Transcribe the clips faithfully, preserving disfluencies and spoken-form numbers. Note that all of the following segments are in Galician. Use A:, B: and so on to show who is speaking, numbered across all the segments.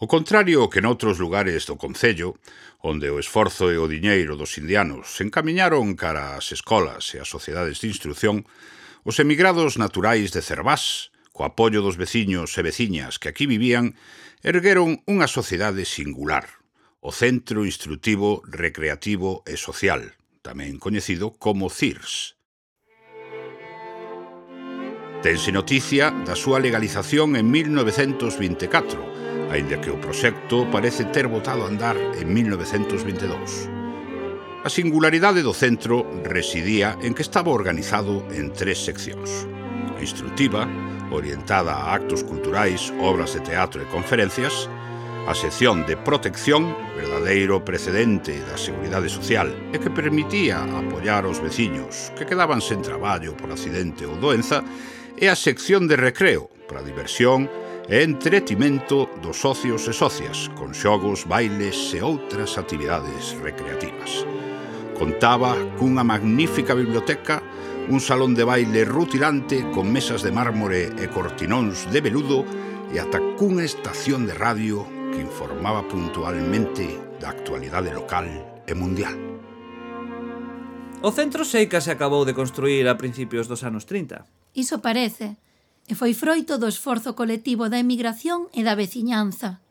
A: O contrario que noutros lugares do concello, onde o esforzo e o diñeiro dos indianos se encamiñaron cara ás escolas e ás sociedades de instrución, os emigrados naturais de Cervás, co apoio dos veciños e veciñas que aquí vivían, ergueron unha sociedade singular, o Centro Instrutivo, Recreativo e Social, tamén coñecido como C I R S. Tense noticia da súa legalización en mil novecentos vinte e catro, aínda que o proxecto parece ter botado a andar en mil novecentos vinte e dous. A singularidade do centro residía en que estaba organizado en tres seccións. A instrutiva, orientada a actos culturais, obras de teatro e conferencias, a sección de protección, verdadeiro precedente da seguridade social e que permitía apoiar os veciños que quedaban sen traballo por accidente ou doenza, e a sección de recreo, para diversión e entretimento dos socios e socias, con xogos, bailes e outras actividades recreativas. Contaba cunha magnífica biblioteca, un salón de baile rutilante con mesas de mármore e cortinóns de veludo e ata cunha estación de radio que informaba puntualmente da actualidade local e mundial.
B: O centro Seica se acabou de construir a principios dos anos trinta.
C: Iso parece, e foi froito do esforzo colectivo da emigración e da veciñanza.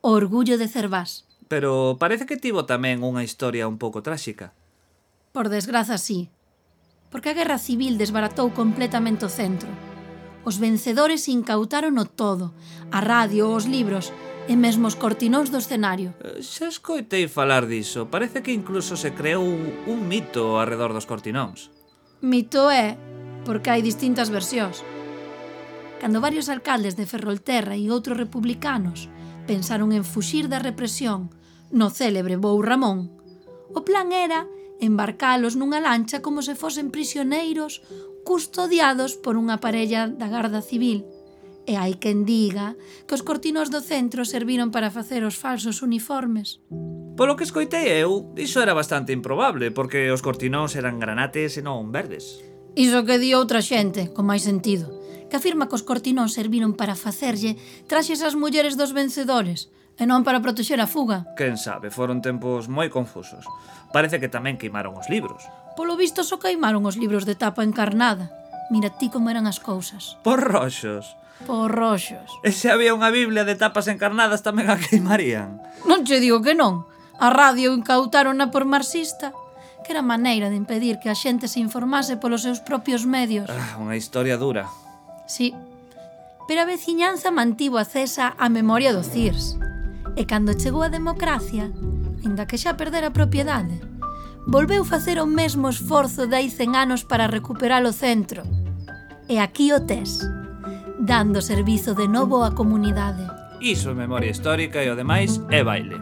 C: O orgullo de Cervás.
B: Pero parece que tivo tamén unha historia un pouco tráxica.
C: Por desgraza, sí. Porque a guerra civil desbaratou completamente o centro. Os vencedores incautarono todo, a radio, os libros e mesmo os cortinóns do escenario.
B: Xa escoitei falar diso. Parece que incluso se creou un mito arredor dos cortinóns.
C: Mito é, porque hai distintas versións. Cando varios alcaldes de Ferrolterra e outros republicanos pensaron en fuxir da represión no célebre Vou Ramón, o plan era embarcalos nunha lancha como se fosen prisioneiros custodiados por unha parella da Garda Civil. E hai quen diga que os cortinóns do centro serviron para facer os falsos uniformes.
B: Polo que escoitei eu, iso era bastante improbable, porque os cortinóns eran granates e non verdes.
C: Iso que di outra xente, con máis sentido, que afirma que os cortinóns serviron para facerlle traxes ás mulleres dos vencedores, e non para protexer a fuga.
B: Quen sabe, foron tempos moi confusos. Parece que tamén queimaron os libros.
C: Polo visto só queimaron os libros de tapa encarnada. Mira ti como eran as cousas.
B: Por roxos.
C: Por roxos.
B: E se había unha biblia de tapas encarnadas tamén a queimarían.
C: Non che digo que non. A radio incautárona por marxista, que era maneira de impedir que a xente se informase polos seus propios medios.
B: Ah, unha historia dura.
C: Sí, pero a veciñanza mantivo acesa a memoria do C I R S. E cando chegou a democracia, aínda que xa perdera a propiedade, volveu facer o mesmo esforzo de hai cen anos para recuperar o centro. E aquí o tes, dando servizo de novo á comunidade.
B: Iso é memoria histórica e o demais é baile.